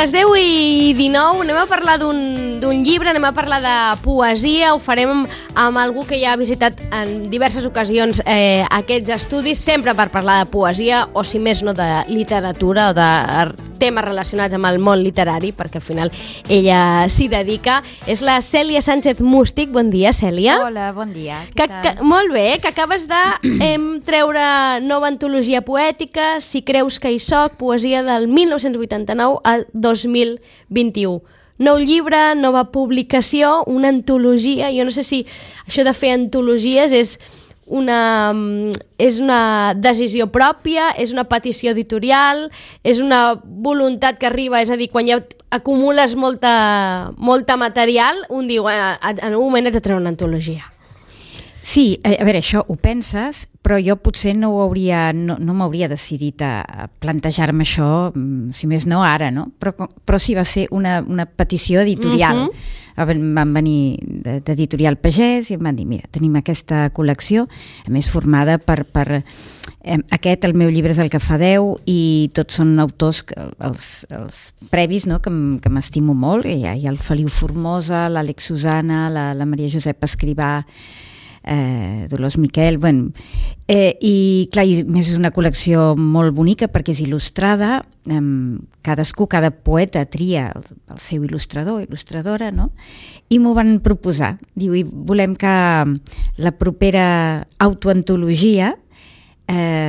les 10:19 anem a parlar d'un llibre, anem a parlar de poesia, ho farem amb algú que ja ha visitat en diverses ocasions aquests estudis, sempre per parlar de poesia o si més no de literatura o de temes relacionats amb el món literari, perquè al final ella s'hi dedica. És la Cèlia Sánchez Mústic. Bon dia, Cèlia. Hola, bon dia. Molt bé, que acabes de treure nova antologia poètica, Si creus que hi soc, poesia del 1989 al 2021. Nou llibre, nova publicació, una antologia. Jo no sé si això de fer antologies és una decisió pròpia, és una petició editorial, és una voluntat que arriba, és a dir, quan ja acumules molta material, un diu, en un moment haig de treure una antologia. Sí, a veure, això ho penses, però jo potser no m'hauria decidit a plantejar-me això, si més no ara, no? Però sí va ser una petició editorial. Van venir d'Editorial Pagès i em van dir, mira, tenim aquesta col·lecció, a més formada per aquest, el meu llibre és el que fa 10, i tots són autors, els previs, no?, que m'estimo molt. Hi ha el Feliu Formosa, l'Àlex Susana, la Maria Josepa Escrivà, Dolors Miquel, i clar, a més és una col·lecció molt bonica perquè és il·lustrada, cada poeta tria el seu il·lustrador, il·lustradora, no? I m'ho van proposar, diu, i volem que la propera autoantologia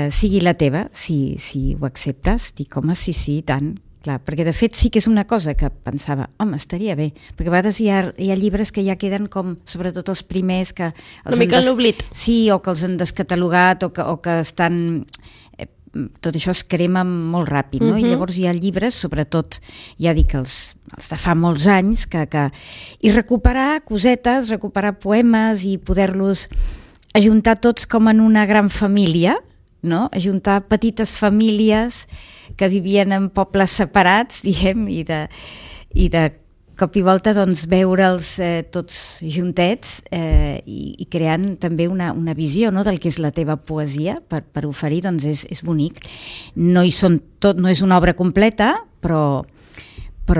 sigui la teva, si ho acceptes. Dic, home, sí, tant. Clar, perquè de fet sí que és una cosa que pensava, home, estaria bé, perquè a vegades hi ha llibres que ja queden com, sobretot els primers, que una mica en l'oblit. Sí, o que els han descatalogat, o que estan... Tot això es crema molt ràpid, no? I llavors hi ha llibres, sobretot, ja dic, els de fa molts anys, i recuperar cosetes, recuperar poemes i poder-los ajuntar tots com en una gran família, no? Ajuntar petites famílies que vivien en pobles separats, diguem, i de cop i volta doncs, veure'ls tots juntets i creant també una visió, no?, del que és la teva poesia per oferir, doncs és bonic. No és una obra completa, però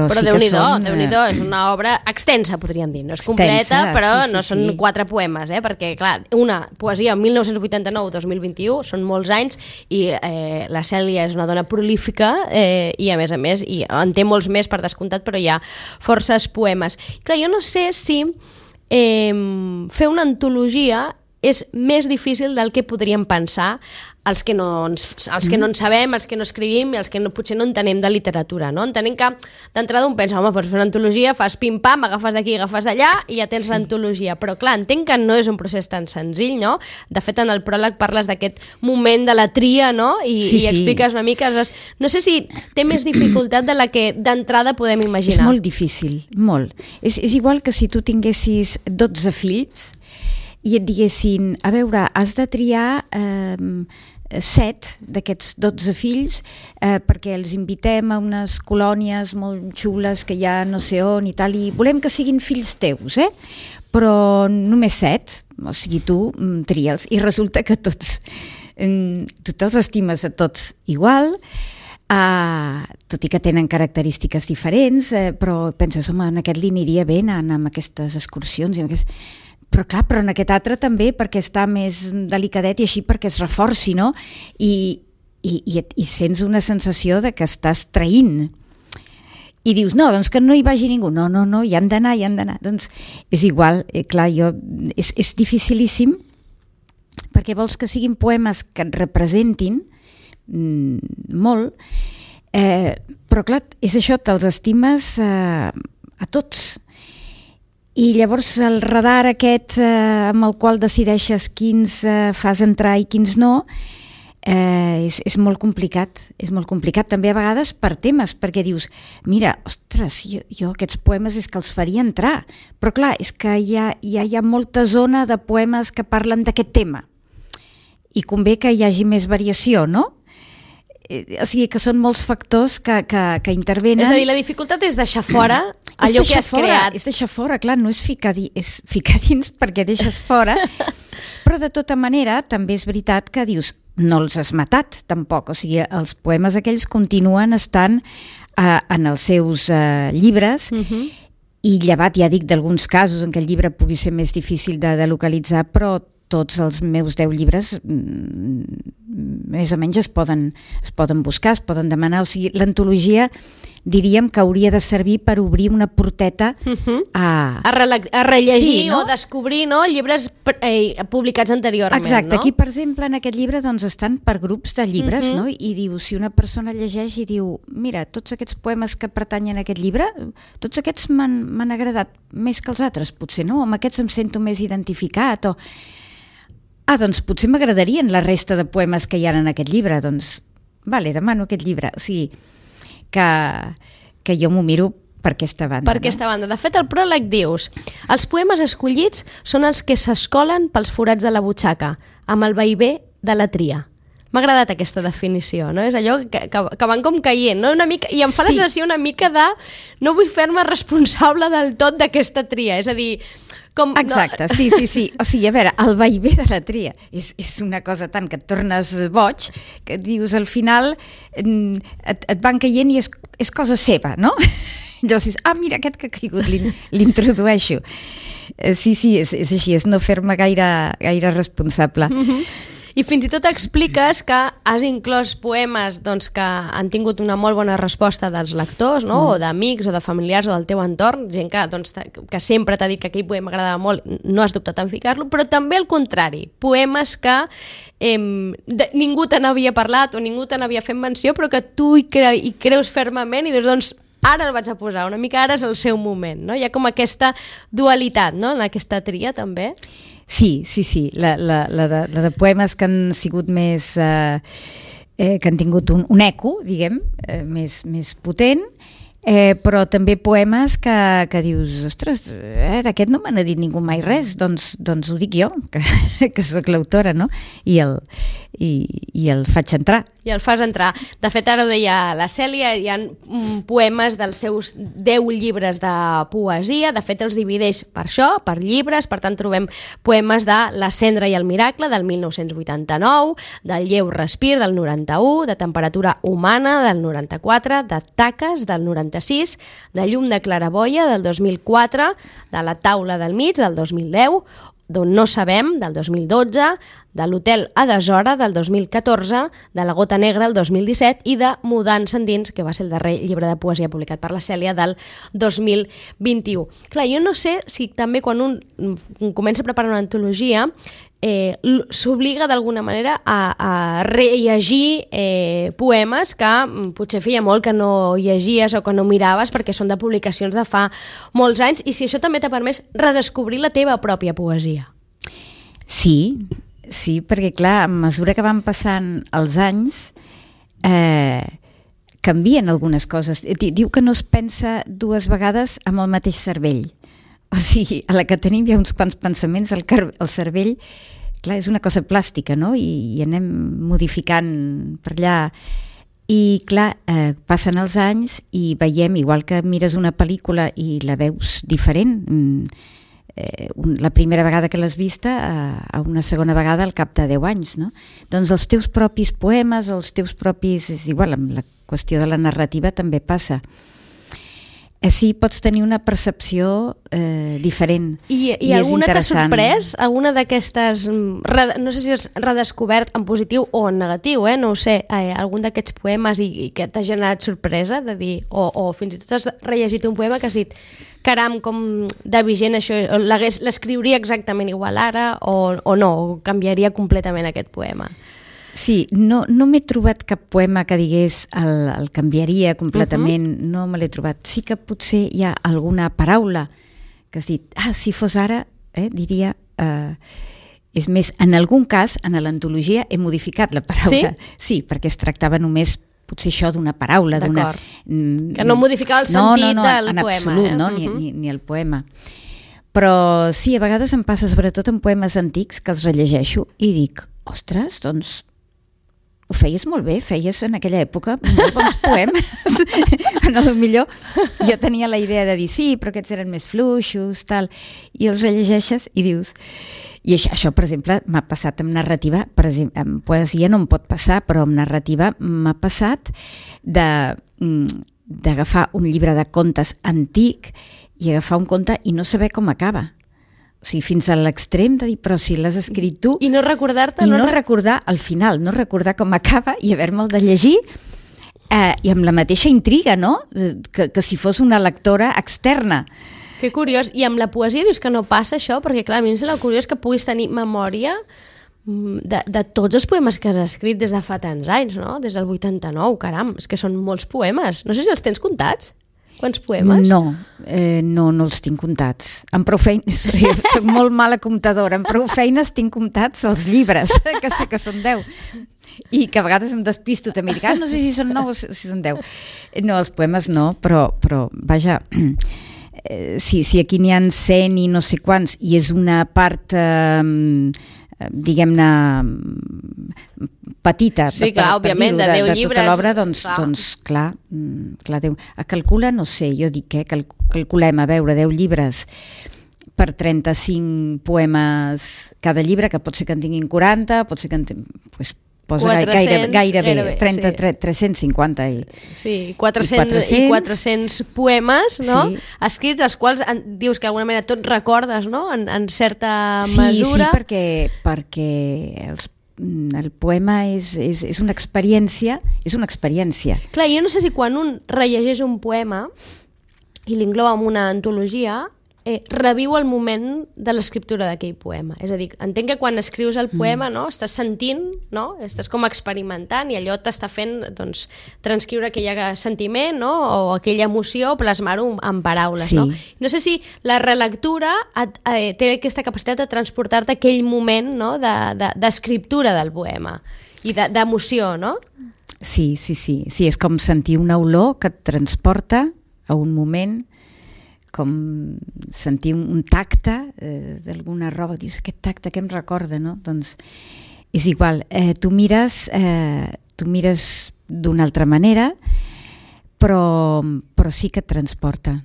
sí Déu-n'hi-do, que són... Déu-n'hi-do, és una obra extensa, podríem dir. No és completa, però no són 4 poemes, perquè, clar, una poesia 1989-2021, són molts anys, i la Cèlia és una dona prolífica, i a més, i en té molts més per descomptat, però hi ha forces poemes. Clar, jo no sé si fer una antologia és més difícil del que podríem pensar els que no en sabem, els que no escrivim i els que potser no entenem de literatura, no? Entenem que d'entrada un pensa, home, pots fer una antologia, fas pim-pam, agafes d'aquí, agafes d'allà i ja tens l'antologia, però clar, entenc que no és un procés tan senzill, no? De fet, en el pròleg parles d'aquest moment de la tria, no? I expliques una mica, no sé si té més dificultat de la que d'entrada podem imaginar. És molt difícil, molt. És igual que si tu tinguessis 12 fills i et diguessin, a veure, has de triar 7 d'aquests 12 fills perquè els invitem a unes colònies molt xules que hi ha no sé on i tal, i volem que siguin fills teus, però només 7, o sigui, tu tria'ls, i resulta que tu te'ls estimes a tots igual, tot i que tenen característiques diferents, però penses, home, en aquest li aniria bé anar amb aquestes excursions i amb aquestes... Però clar, però en aquest altre també, perquè està més delicadet i així perquè es reforci, no? I sents una sensació de que estàs traint. I dius, no, doncs que no hi vagi ningú. No, hi han d'anar. Doncs és igual, clar, és dificilíssim, perquè vols que siguin poemes que et representin molt, però clar, és això, te'ls estimes a tots. I llavors el radar aquest amb el qual decideixes quins fas entrar i quins no és molt complicat. És molt complicat també a vegades per temes, perquè dius, mira, ostres, jo aquests poemes és que els faria entrar, però clar, és que hi ha molta zona de poemes que parlen d'aquest tema i convé que hi hagi més variació, no? O sigui que són molts factors que intervenen. És a dir, la dificultat és deixar fora allò que has creat. És deixar fora, clar, no és ficar dins perquè deixes fora, però de tota manera també és veritat que dius, no els has matat tampoc, o sigui, els poemes aquells continuen estant en els seus llibres, i llevat, ja dic, d'alguns casos en què el llibre pugui ser més difícil de localitzar, però tots els meus 10 llibres més o menys es poden buscar, es poden demanar. O sigui, l'antologia diríem que hauria de servir per obrir una porteta a rellegir, sí, no? O descobrir, no? Llibres publicats anteriorment. Exacte, no? Aquí per exemple en aquest llibre doncs, estan per grups de llibres, no? I diu, si una persona llegeix i diu, mira, tots aquests poemes que pertanyen a aquest llibre, tots aquests m'han agradat més que els altres, potser no, amb aquests em sento més identificat, o doncs potser m'agradarien la resta de poemes que hi ha en aquest llibre, doncs vale, demano aquest llibre. O sigui, que jo m'ho miro per aquesta banda. Per aquesta banda. De fet, al pròleg dius, els poemes escollits són els que s'escolen pels forats de la butxaca, amb el vaivé de la tria. M'ha agradat aquesta definició, no? És allò que van com caient, no? Una mica, i em fa la sensació una mica de no vull fer-me responsable del tot d'aquesta tria, és a dir, com... Exacte, no... sí. O sigui, a veure, el vaivé de la tria és una cosa tant que et tornes boig, que dius, al final et van caient i és cosa seva, no? Llavors dius, mira, aquest que ha caigut, l'introdueixo. Sí, és així, és no fer-me gaire responsable. I fins i tot expliques que has inclòs poemes doncs, que han tingut una molt bona resposta dels lectors, no? O d'amics o de familiars o del teu entorn, gent que sempre t'ha dit que aquell poema agradava molt, no has dubtat en ficar-lo, però també al contrari, poemes que ningú te n'havia parlat o ningú te n'havia fet menció, però que tu hi creus fermament i dius, doncs, ara el vaig a posar, una mica ara és el seu moment, no? Hi ha com aquesta dualitat, no?, en aquesta tria, també. Sí. La de poemes que han sigut més... que han tingut un eco, diguem, més potent, però també poemes que dius, ostres, d'aquest no me n'ha dit ningú mai res, doncs ho dic jo, que soc l'autora, no? I el faig entrar. I el fas entrar. De fet, ara ho deia la Cèlia, hi ha poemes dels seus 10 llibres de poesia, de fet els divideix per això, per llibres, per tant trobem poemes de La cendra i el miracle, del 1989, del Lleu respir, del 91, de Temperatura humana, del 94, de Taques, del 96, de Llum de claraboia, del 2004, de La taula del mig, del 2010, d'On no sabem, del 2012, de L'hotel a deshora, del 2014, de La gota negra, el 2017, i de Mudant endins, que va ser el darrer llibre de poesia publicat per la Cèlia, del 2021. Clar, jo no sé si també quan un comença a preparar una antologia s'obliga d'alguna manera a rellegir poemes que potser feia molt que no llegies o que no miraves perquè són de publicacions de fa molts anys, i si això també t'ha permès redescobrir la teva pròpia poesia. Sí, perquè clar, a mesura que van passant els anys canvien algunes coses. Diu que no es pensa 2 vegades amb el mateix cervell. O sigui, a la que tenim hi ha uns quants pensaments, el cervell, clar, és una cosa plàstica, no? I anem modificant per allà. I clar, passen els anys i veiem, igual que mires una pel·lícula i la veus diferent, la primera vegada que l'has vista a una segona vegada al cap de 10 anys, no? Doncs els teus propis poemes o els teus propis... És igual, amb la qüestió de la narrativa també passa. Sí, pots tenir una percepció diferent. I alguna t'ha sorprès? Alguna d'aquestes... No sé si has redescobert en positiu o en negatiu, no ho sé, algun d'aquests poemes i que t'ha generat sorpresa de dir... O fins i tot has rellegit un poema que has dit caram, com de vigent això, l'escriuria exactament igual ara o no, o canviaria completament aquest poema? Sí, no m'he trobat cap poema que digués el canviaria completament, no me l'he trobat. Sí que potser hi ha alguna paraula que has dit, si fos ara, diria... És més, en algun cas, en l'antologia he modificat la paraula. Sí, perquè es tractava només potser això d'una paraula. D'acord, que no modificava el sentit del poema. En absolut, no, ni el poema. Però sí, a vegades em passa, sobretot en poemes antics, que els rellegeixo i dic, ostres, doncs... ho feies molt bé, feies en aquella època molt bons poemes. Millor jo tenia la idea de dir sí, però aquests eren més fluixos, tal, i els rellegeixes i dius... I això, per exemple, m'ha passat amb narrativa, per exemple, amb poesia no em pot passar, però amb narrativa m'ha passat de d'agafar un llibre de contes antic i agafar un conte i no saber com acaba. O sigui, fins a l'extrem de dir, però si l'has escrit tu... I no recordar-te... I no recordar al final, no recordar com acaba i haver-me'l de llegir i amb la mateixa intriga, no? Que si fos una lectora externa. Que curiós. I amb la poesia dius que no passa això? Perquè, clar, a mi em sembla curiós que puguis tenir memòria de tots els poemes que has escrit des de fa tants anys, no? Des del 89, caram, és que són molts poemes. No sé si els tens comptats. Quants poemes? No els tinc comptats. Amb prou feines, soc molt mala comptadora, amb prou feines tinc comptats els llibres, que sé que són 10. I que a vegades em despisto també, dic, no sé si són 9 o si són 10. No, els poemes no, però vaja, si aquí n'hi ha 100 i no sé quants, i és una part... diguem-ne petita, sí, clar, òbviament, de 10 llibres, tota l'obra, doncs clar, Déu. Calcula, no sé, jo dic, calculem, a veure, 10 llibres per 35 poemes cada llibre, que pot ser que en tinguin 40, pot ser que en tinguin... Posa 400, gairebé 350 i 400 poemes, no? Sí. Escrits, els quals dius que d'alguna manera tot recordes, no? En certa mesura. Sí, perquè el poema és una experiència, Clar, jo no sé si quan un rellegeix un poema i l'inclou en una antologia, reviu el moment de l'escriptura d'aquell poema. És a dir, entenc que quan escrius el poema, no, estàs sentint, no, estàs com experimentant i allò t'està fent, doncs, transcriure aquell sentiment, no, o aquella emoció, plasmar-ho en paraules, sí. No? No sé si la relectura té aquesta capacitat de transportar-te aquell moment, no, d'escriptura del poema i d'emoció, no? Sí, és com sentir una olor que et transporta a un moment, com sentir un tacte d'alguna roba, dius, aquest tacte que em recorda, no? Doncs és igual, tu mires d'una altra manera, però sí que et transporta.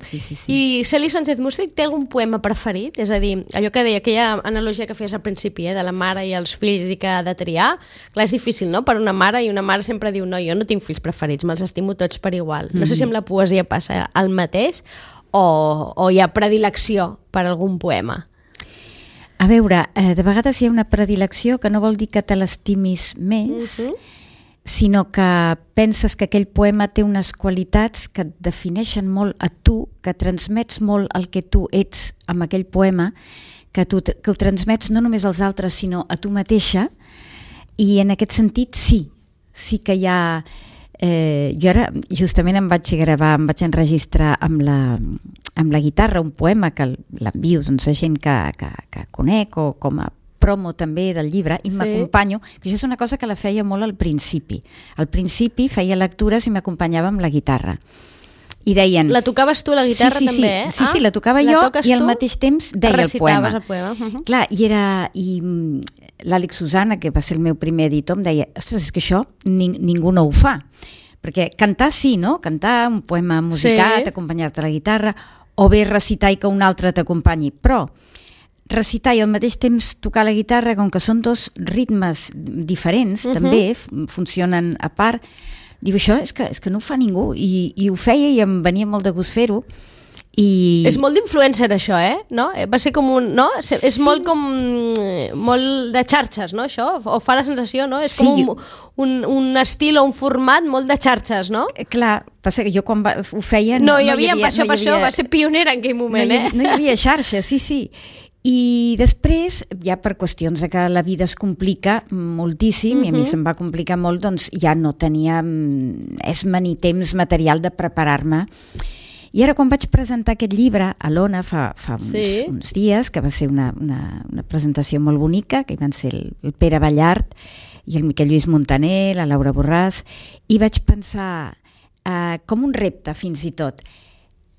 Sí. I Celi Sánchez Músic té algun poema preferit? És a dir, allò que deia, aquella analogia que feies al principi, de la mare i els fills i que ha de triar, clar, és difícil, no?, per una mare, i una mare sempre diu, no, jo no tinc fills preferits, me'ls estimo tots per igual. No sé si amb la poesia passa el mateix o hi ha predilecció per algun poema. A veure, de vegades hi ha una predilecció que no vol dir que te l'estimis més, sinó que penses que aquell poema té unes qualitats que et defineixen molt a tu, que transmets molt el que tu ets amb aquell poema, que ho transmets no només als altres, sinó a tu mateixa, i en aquest sentit sí que hi ha... jo ara justament em vaig enregistrar amb la guitarra un poema que l'envio a gent que conec o com a promo també del llibre i m'acompanyo, que això és una cosa que la feia molt al principi. Al principi feia lectures i m'acompanyava amb la guitarra. I deien... La tocaves tu, la guitarra, també, eh? Sí, la tocava jo i al mateix temps deia el poema. Recitaves el poema. Clar, i l'Àlex Susana, que va ser el meu primer editor, em deia, ostres, és que això ningú no ho fa. Perquè cantar sí, no? Cantar un poema musicat, acompanyar-te a la guitarra, o bé recitar i que un altre t'acompanyi. Però recitar i al mateix temps tocar la guitarra, com que són dos ritmes diferents, també funcionen a part, diu, això és que no ho fa ningú, i ho feia i em venia molt de gust fer-ho. És molt d'influencer això, no? Va ser com un... No? És molt com... molt de xarxes, no, això? O fa la sensació, no? És com un estil o un format molt de xarxes, no? Clar, passa que jo quan ho feia... No hi havia, per això va ser pionera en aquell moment, No hi havia xarxes, sí. I després, ja per qüestions de que la vida es complica moltíssim, i a mi se'm va complicar molt, doncs ja no tenia esma ni temps material de preparar-me. I ara quan vaig presentar aquest llibre a l'Ona fa uns dies, que va ser una presentació molt bonica, que hi van ser el Pere Ballart i el Miquel Lluís Montaner, la Laura Borràs, i vaig pensar com un repte fins i tot.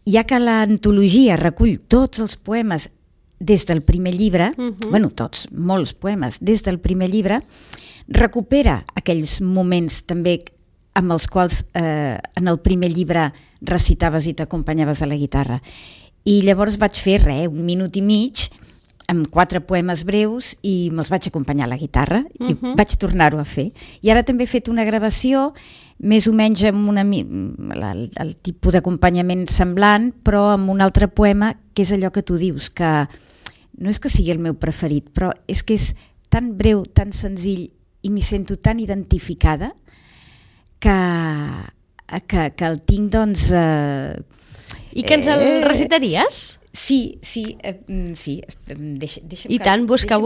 Ja que l'antologia recull tots els poemes des del primer llibre, tots, molts poemes, des del primer llibre, recupera aquells moments també amb els quals en el primer llibre recitaves i t'acompanyaves a la guitarra. I llavors vaig fer 1 minut i mig amb 4 poemes breus i me'ls vaig acompanyar a la guitarra i vaig tornar-ho a fer. I ara també he fet una gravació més o menys amb el tipus d'acompanyament semblant, però amb un altre poema que és allò que tu dius, que no és que sigui el meu preferit, però és que és tan breu, tan senzill i m'hi sento tan identificada que el tinc, doncs... I que ens el recitaries? Sí. I tant, busca,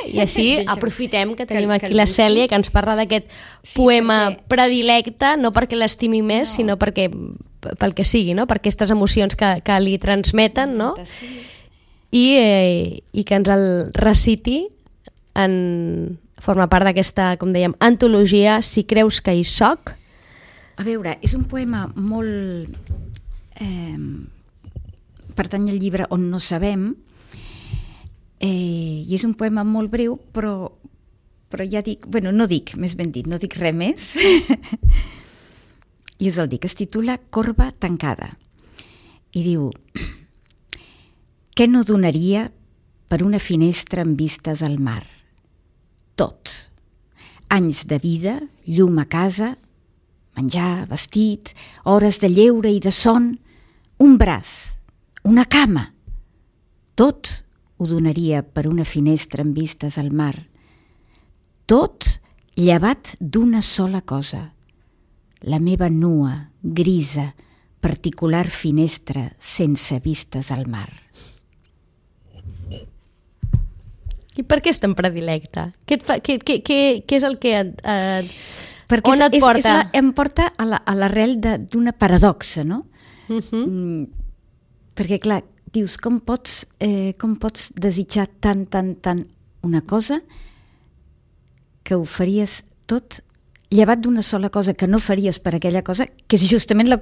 i així aprofitem que tenim aquí la Cèlia, que ens parla d'aquest poema predilecte, no perquè l'estimi més, sinó perquè pel que sigui, no? Per aquestes emocions que li transmeten, no? I que ens el reciti forma part d'aquesta, com dèiem, antologia Si creus que hi soc. A veure, és un poema molt... pertany al llibre On no sabem, i és un poema molt breu, però ja dic, no dic res més, i us el dic, es titula Corba tancada, i diu: què no donaria per una finestra amb vistes al mar? Tot. Anys de vida, llum a casa, menjar, vestit, hores de lleure i de son, un braç, una cama. Tot ho donaria per una finestra amb vistes al mar. Tot llevat d'una sola cosa, la meva nua, grisa, particular finestra sense vistes al mar. I per què és tan predilecte? Què és el que perquè on et porta? Em porta a l'arrel d'una paradoxa, no? Perquè, clar, dius, com pots desitjar tant una cosa que ho faries tot llevat d'una sola cosa que no faries per aquella cosa, que és justament la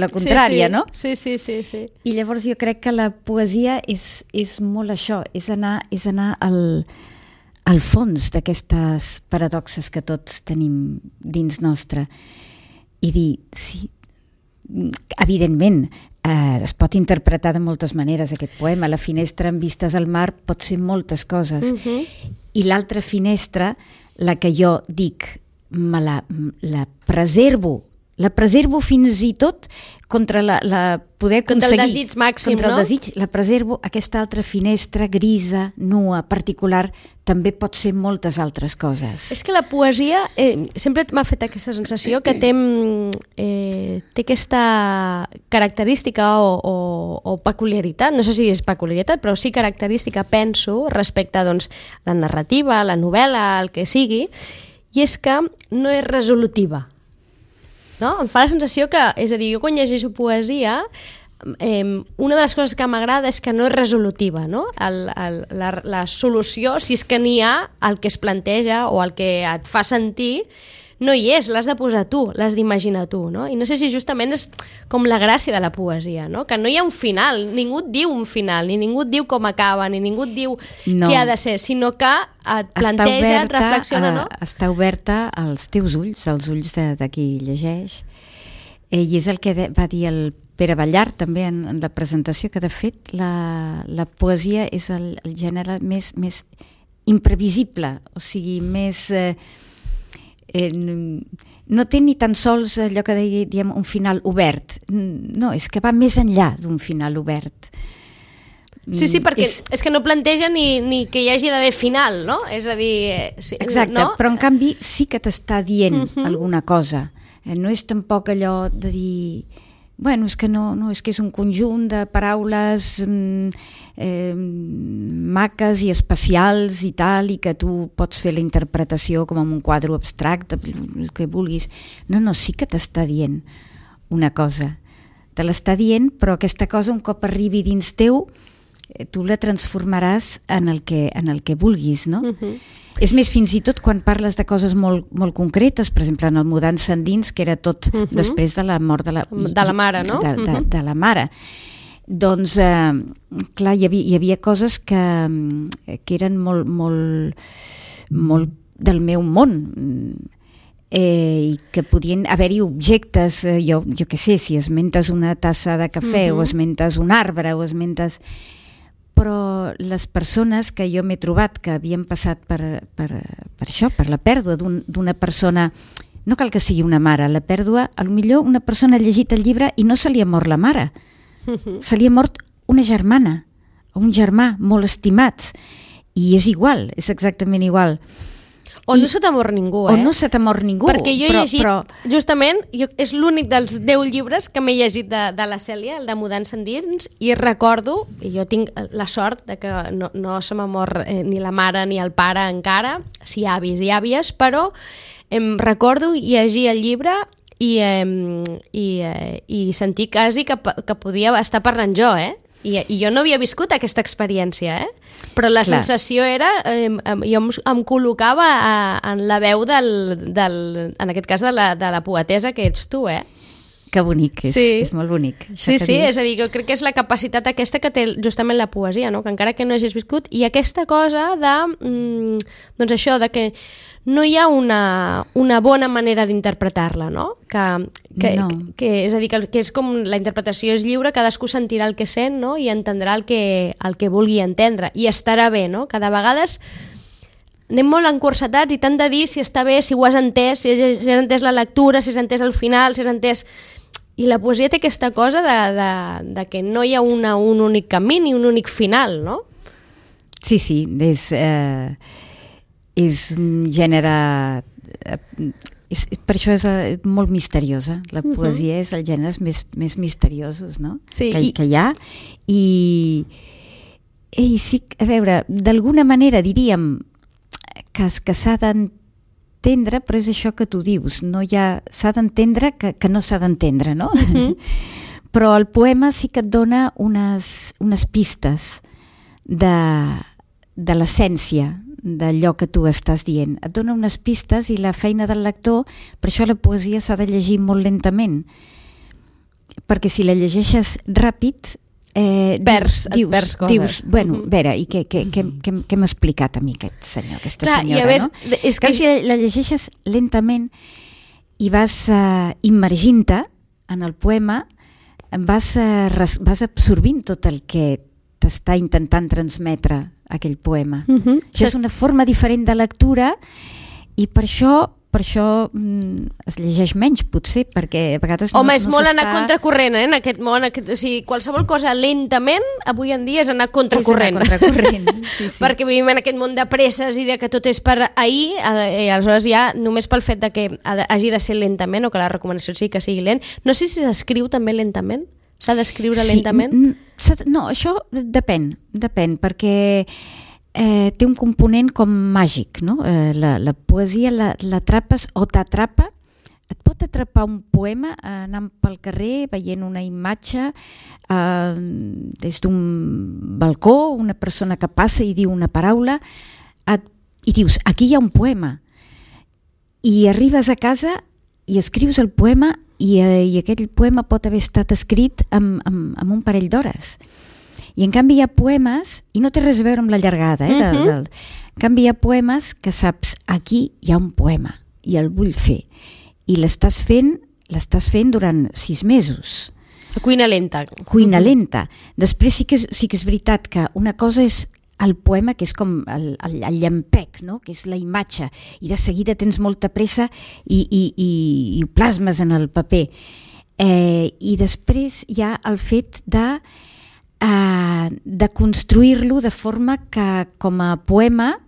contrària, no? Sí. I llavors jo crec que la poesia és molt això, és anar al fons d'aquestes paradoxes que tots tenim dins nostre i dir, sí, evidentment, es pot interpretar de moltes maneres aquest poema. La finestra amb vistes al mar pot ser moltes coses. I l'altra finestra, la que jo dic, la preservo fins i tot contra poder aconseguir... Contra el desig màxim, contra el desig, la preservo, aquesta altra finestra grisa, nua, particular, també pot ser moltes altres coses. És que la poesia sempre m'ha fet aquesta sensació que té aquesta característica o peculiaritat, no sé si és peculiaritat, però sí característica, penso, respecte a la narrativa, la novel·la, el que sigui, i és que no és resolutiva. No? Em fa la sensació que, és a dir, jo quan llegeixo poesia, una de les coses que m'agrada és que no és resolutiva, no? La solució, si és que n'hi ha, el que es planteja o el que et fa sentir, no hi és, l'has de posar tu, l'has d'imaginar tu, no? I no sé si justament és com la gràcia de la poesia, no? Que no hi ha un final, ningú et diu un final, ni ningú et diu com acaba, ni ningú et diu què ha de ser, sinó que et planteja, et reflexiona, no? Està oberta als teus ulls, als ulls de qui llegeix, i és el que va dir el Pere Ballart també en la presentació, que de fet la poesia és el gènere més imprevisible, o sigui, més... no té ni tan sols allò que diem un final obert, no, és que va més enllà d'un final obert. Sí, perquè és que no planteja ni que hi hagi d'haver final, no? És a dir... Exacte, no? Però en canvi sí que t'està dient alguna cosa. No és tampoc allò de dir... Bueno, és que no, és que és un conjunt de paraules maques i especials i tal, i que tu pots fer la interpretació com en un quadre abstracte, el que vulguis. No, sí que t'està dient una cosa. Te l'està dient, però aquesta cosa, un cop arribi dins teu, tu la transformaràs en el que vulguis, no? És més, fins i tot quan parles de coses molt, molt concretes, per exemple, en el Mudança endins, que era tot després de la mort de la mare, no? De la mare. Doncs, clar, hi havia coses que eren molt del meu món, i que podien haver-hi objectes, jo què sé, si esmentes una tassa de cafè o esmentes un arbre o esmentes... Però les persones que jo m'he trobat que havien passat per això, per la pèrdua d'una persona no cal que sigui una mare, la pèrdua, potser una persona ha llegit el llibre i no se li ha mort la mare, se li ha mort una germana o un germà molt estimats, i és igual, és exactament igual. O no se t'ha mort ningú, O no se t'ha mort ningú. Perquè jo he llegit, justament, és l'únic dels 10 llibres que m'he llegit de la Cèlia, el de Mudança endins, i recordo, i jo tinc la sort de que no se m'ha mort ni la mare ni el pare encara, sí avis i àvies, però em recordo llegir el llibre i sentir quasi que podia estar parlant jo, I jo no havia viscut aquesta experiència, però la sensació era, jo em col·locava en la veu en aquest cas de la poetesa que ets tu, Que bonic, és molt bonic. Sí, és a dir, jo crec que és la capacitat aquesta que té justament la poesia, no? Que encara que no hagis viscut, i aquesta cosa de, doncs això, de que no hi ha una bona manera d'interpretar-la, no? Que és a dir, que és com la interpretació és lliure, cadascú sentirà el que sent, no? I entendrà el que vulgui entendre, i estarà bé, no? Cada vegades anem molt encursetats i tant de dir si està bé, si ho has entès, si has entès la lectura, si has entès el final, si has entès... I la poesia té aquesta cosa de que no hi ha un únic camí ni un únic final, no? Sí, és un gènere... per això és molt misteriosa. La poesia és els gèneres més misteriosos, no? Sí, que hi ha. I sí, a veure, d'alguna manera diríem que s'ha d'entendre, però és això que tu dius, s'ha d'entendre que no s'ha d'entendre, no? Però el poema sí que et dona unes pistes de l'essència d'allò que tu estàs dient. Et dona unes pistes i la feina del lector, per això la poesia s'ha de llegir molt lentament, perquè si la llegeixes ràpid perds coses. Bueno, a veure, i què m'ha explicat a mi aquest senyor, aquesta senyora, no? És que si la llegeixes lentament i vas immergint-te en el poema, vas absorbint tot el que t'està intentant transmetre aquell poema. Això és una forma diferent de lectura i per això es llegeix menys, potser, perquè a vegades Home, és molt anar contracorrent, en aquest món. O sigui, qualsevol cosa lentament, avui en dia és anar contracorrent. Sí. Perquè vivim en aquest món de presses i de que tot és per ahir, i aleshores ja, només pel fet de que hagi de ser lentament, o que la recomanació sigui que sigui lent. No sé si s'escriu també lentament. S'ha d'escriure lentament? No, això depèn, perquè té un component com màgic, no? La poesia l'atrapes o t'atrapa. Et pot atrapar un poema anant pel carrer, veient una imatge des d'un balcó, una persona que passa i diu una paraula, i dius, aquí hi ha un poema. I arribes a casa i escrius el poema i aquell poema pot haver estat escrit amb un parell d'hores. I en canvi hi ha poemes, i no té res a veure amb la llargada, en canvi hi ha poemes que saps, aquí hi ha un poema i el vull fer. I l'estàs fent durant 6 mesos. Cuina lenta. Cuina lenta. Després sí que és veritat que una cosa és el poema, que és com el llampec, no? Que és la imatge, i de seguida tens molta pressa i ho plasmes en el paper. I després hi ha el fet de construir-lo de forma que com a poema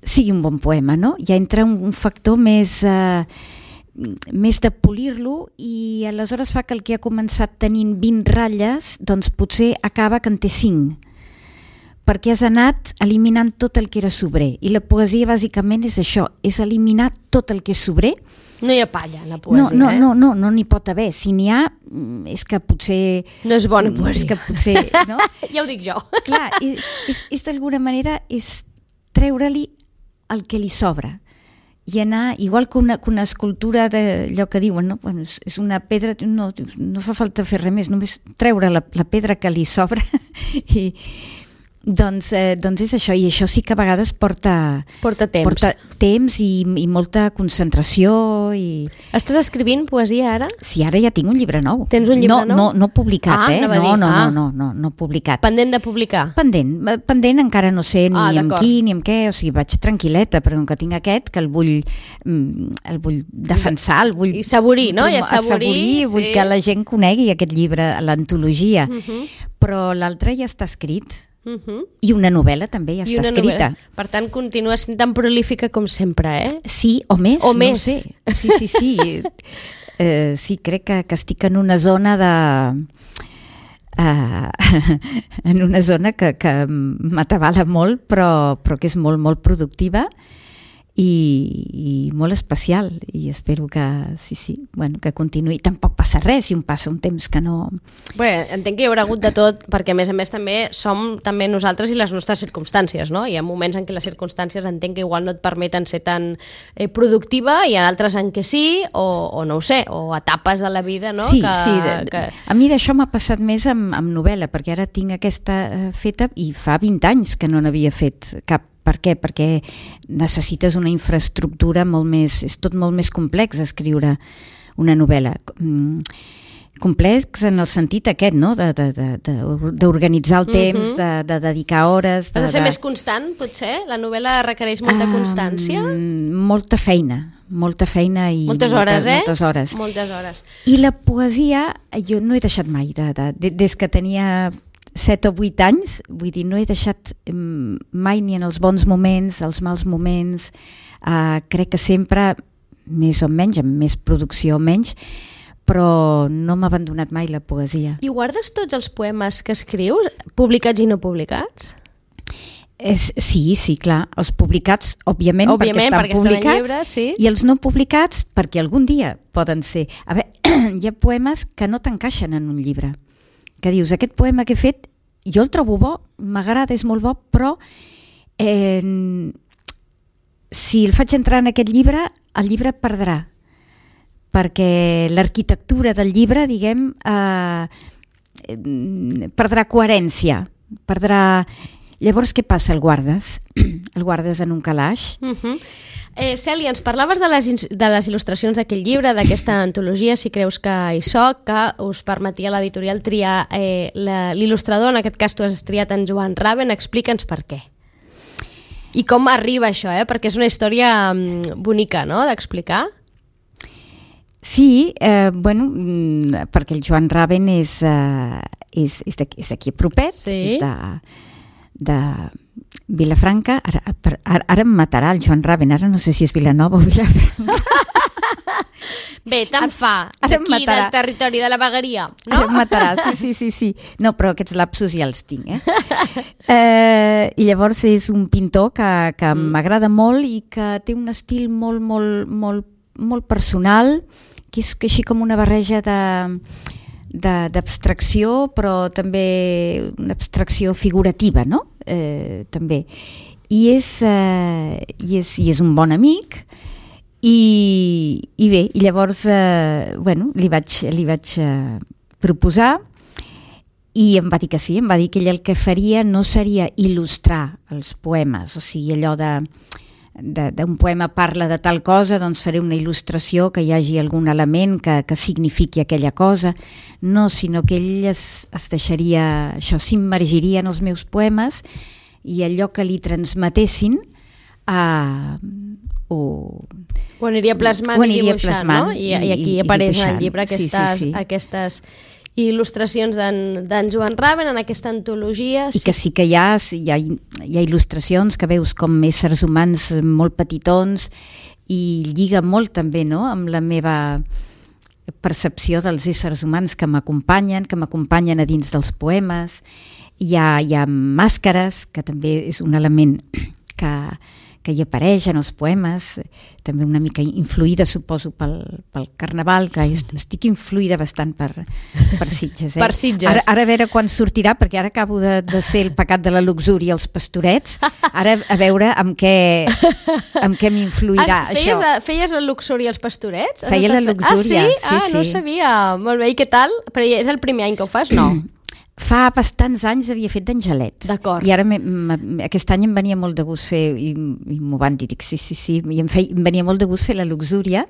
sigui un bon poema, no? Ja entra un factor més de polir-lo, i aleshores fa que el que ha començat tenint 20 ratlles doncs potser acaba que en té 5, perquè has anat eliminant tot el que era sobrer, i la poesia bàsicament és això, és eliminar tot el que és sobrer. No hi ha palla en la poesia, no n'hi pot haver. Si n'hi ha, és que potser... No és bona poesia. És que potser, no? Ja ho dic jo. Clar, és d'alguna manera és treure-li el que li sobra i anar, igual que una escultura d'allò que diuen, no? Bueno, és una pedra, no fa falta fer res més, només treure la pedra que li sobra Doncs és això, i això sí que a vegades porta temps i molta concentració. Estàs escrivint poesia ara? Sí, ara ja tinc un llibre nou. Tens un llibre nou? No publicat, no publicat. Pendent de publicar? Pendent, encara no sé ni amb qui ni amb què, o sigui, vaig tranquil·leta, però que tinc aquest, que el vull defensar, el vull... I assaborir, no? Vull que la gent conegui aquest llibre, l'antologia, però l'altre ja està escrit. I una novel·la també ja està escrita. Per tant, continua sent tan prolífica com sempre, Sí, o més. O més. No sé. Sí. Sí, crec que estic en una zona en una zona que m'atabala molt, però que és molt, molt productiva i molt especial, i espero que que continuï. Tampoc passa res si passa un temps que no... Bé, entenc que hi haurà hagut de tot, perquè a més també som també nosaltres i les nostres circumstàncies, no? Hi ha moments en què les circumstàncies entenc que igual no et permeten ser tan productiva, i en altres en què sí, o no ho sé, o etapes de la vida, no? Sí. A mi d'això m'ha passat més amb novel·la, perquè ara tinc aquesta feta i fa 20 anys que no n'havia fet cap. Per què? Perquè necessites una infraestructura molt més... És tot molt més complex escriure una novel·la. Complex en el sentit aquest, no? D'organitzar el temps, de dedicar hores... Has de ser més constant, potser? La novel·la requereix molta constància? Molta feina i... Moltes hores, Moltes hores. I la poesia, jo no he deixat mai, des que tenia 7 o 8 anys, vull dir, no he deixat mai, ni en els bons moments, els mals moments, crec que sempre, més o menys, amb més producció o menys, però no m'ha abandonat mai la poesia. I guardes tots els poemes que escrius, publicats i no publicats? Sí, clar. Els publicats, òbviament perquè estan publicats, llibres, sí. I els no publicats perquè algun dia poden ser... A veure, hi ha poemes que no t'encaixen en un llibre, que dius, aquest poema que he fet, jo el trobo bo, m'agrada, és molt bo, però si el faig entrar en aquest llibre, el llibre perdrà, perquè l'arquitectura del llibre, diguem, perdrà coherència, perdrà... Llavors, què passa? El guardes? El guardes en un calaix? Cèlia, ens parlaves de les il·lustracions d'aquell llibre, d'aquesta antologia, Si creus que hi soc, que us permetia l'editorial triar l'il·lustrador, en aquest cas tu has triat en Joan Raven. Explica'ns per què. I com arriba això, perquè és una història bonica, no?, d'explicar. Sí, perquè el Joan Raven és d'aquí propet, és de Vilafranca. Ara em matarà el Joan Raven, ara no sé si és Vilanova o Vilafranca. Bé, tant fa, d'aquí del territori de la vegueria, no? Ara em matarà, sí. No, però aquests lapsos ja els tinc, I llavors és un pintor que m'agrada molt i que té un estil molt, molt, molt, molt personal, que és així com una barreja d'abstracció, però també una abstracció figurativa, no? També. I és un bon amic, i bé, i llavors li vaig proposar, i em va dir que sí, em va dir que ell el que faria no seria il·lustrar els poemes, o sigui, allò d'un poema parla de tal cosa, doncs faré una il·lustració que hi hagi algun element que signifiqui aquella cosa. No, sinó que ell es deixaria, això, s'immergiria en els meus poemes, i allò que li transmetessin ho aniria plasmant i dibuixant, no? I aquí apareix en el llibre aquestes il·lustracions d'en Joan Raven en aquesta antologia. I que sí que hi ha il·lustracions que veus com éssers humans molt petitons, i lliga molt també, no?, amb la meva percepció dels éssers humans que m'acompanyen a dins dels poemes. Hi ha màscares, que també és un element que hi apareix en els poemes, també una mica influïda, suposo, pel Carnaval, que estic influïda bastant per Sitges. Per Sitges. Ara a veure quan sortirà, perquè ara acabo de ser El pecat de la luxúria, Els pastorets, ara a veure amb què m'influirà això. Feies la luxúria als pastorets? Feia la luxúria, sí? No ho sabia. Molt bé, i què tal? Però és el primer any que ho fas, no? fa bastants anys havia fet d'Angelet. D'acord. I ara aquest any em venia molt de gust fer, i m'ho van dir, dic sí, i em venia molt de gust fer la Luxúria.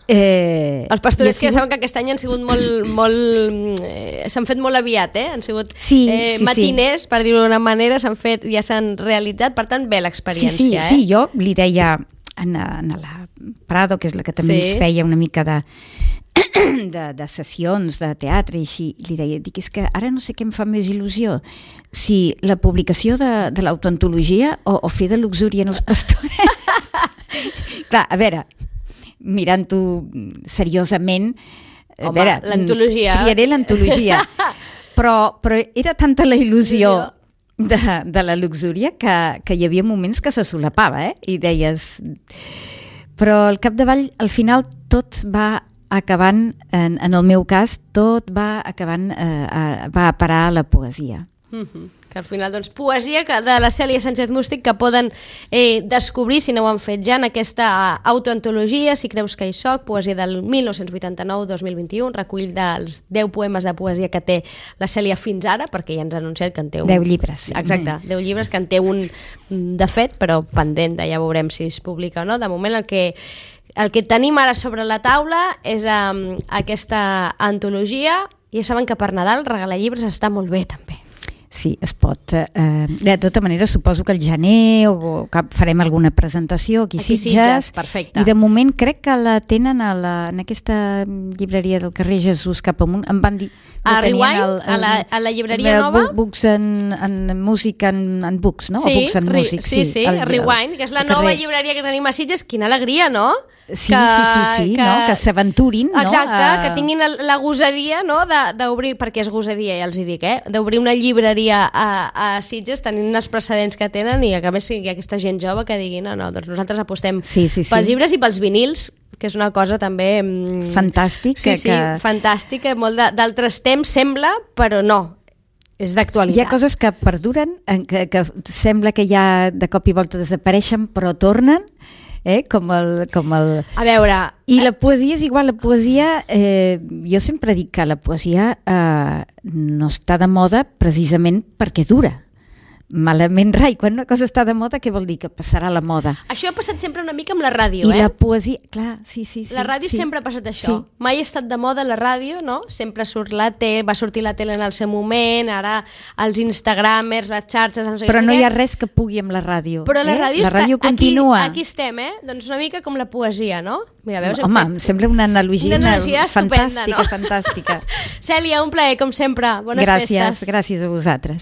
Els pastorets que ja saben que aquest any han sigut molt s'han fet molt aviat, han sigut matiners, per dir-ho d'una manera, ja s'han realitzat, per tant, bé l'experiència. Sí, jo li deia a la Prado, que és la que també ens feia una mica de sessions de teatre i així, li deia, dic, és que ara no sé què em fa més il·lusió, si la publicació de l'autoantologia o fer de Luxúria en els pastorets. Clar, a veure, mirant-ho seriosament, l'antologia. Triaré l'antologia, però era tanta la il·lusió de la Luxúria que hi havia moments que se solapava, i deies... Però al capdavall, al final, tot va acabant, en el meu cas, tot va acabant, va a parar a la poesia. Que al final, doncs, poesia de la Cèlia Sánchez Mústic que poden descobrir, si no ho han fet ja, en aquesta autoantologia, Si creus que hi soc, poesia del 1989-2021, recull dels 10 poemes de poesia que té la Cèlia fins ara, perquè ja ens ha anunciat que en té un... 10 llibres. Sí. Exacte, 10 llibres, que en té un de fet, però pendent, ja veurem si es publica o no. De moment el que tenim ara sobre la taula és aquesta antologia. Ja saben que per Nadal regalar llibres està molt bé, també. Sí, es pot. De tota manera, suposo que al gener o que farem alguna presentació aquí a Sitges. Perfecte. I de moment crec que la tenen en aquesta llibreria del carrer Jesús cap amunt. Em van dir... A Rewind, a la llibreria nova? Books en Music and Books, no? Sí, sí, a Rewind, que és la nova llibreria que tenim a Sitges. Quina alegria, no? Sí, que s'aventurin, no? Exacte, que tinguin la gosadia, no?, d'obrir, perquè és gosadia, ja els hi dic, d'obrir una llibreria a Sitges, tenint els precedents que tenen, i que a més hi ha aquesta gent jove que digui, no, doncs nosaltres apostem pels llibres i pels vinils, que és una cosa també... fantàstica. Sí, fantàstica, molt d'altres temps sembla, però no. És d'actualitat. Hi ha coses que perduren, que sembla que ja de cop i volta desapareixen, però tornen, com el... A veure... I la poesia és igual, la poesia... jo sempre dic que la poesia no està de moda precisament perquè dura. Malament rai, quan una cosa està de moda, què vol dir? Que passarà la moda. Això ha passat sempre una mica amb la ràdio, I la poesia, clar, sí. La ràdio sempre ha passat això. Sí. Mai ha estat de moda la ràdio, no? Sempre surt la tele, va sortir la tele en el seu moment, ara els instagramers, les xarxes... Però no hi ha res que pugui amb la ràdio. Però la ràdio continua. Aquí estem, Doncs una mica com la poesia, no? Mira, veus, home, em sembla una analogia estupenda, fantàstica. Cèlia, un plaer, com sempre. Bones festes. Gràcies a vosaltres.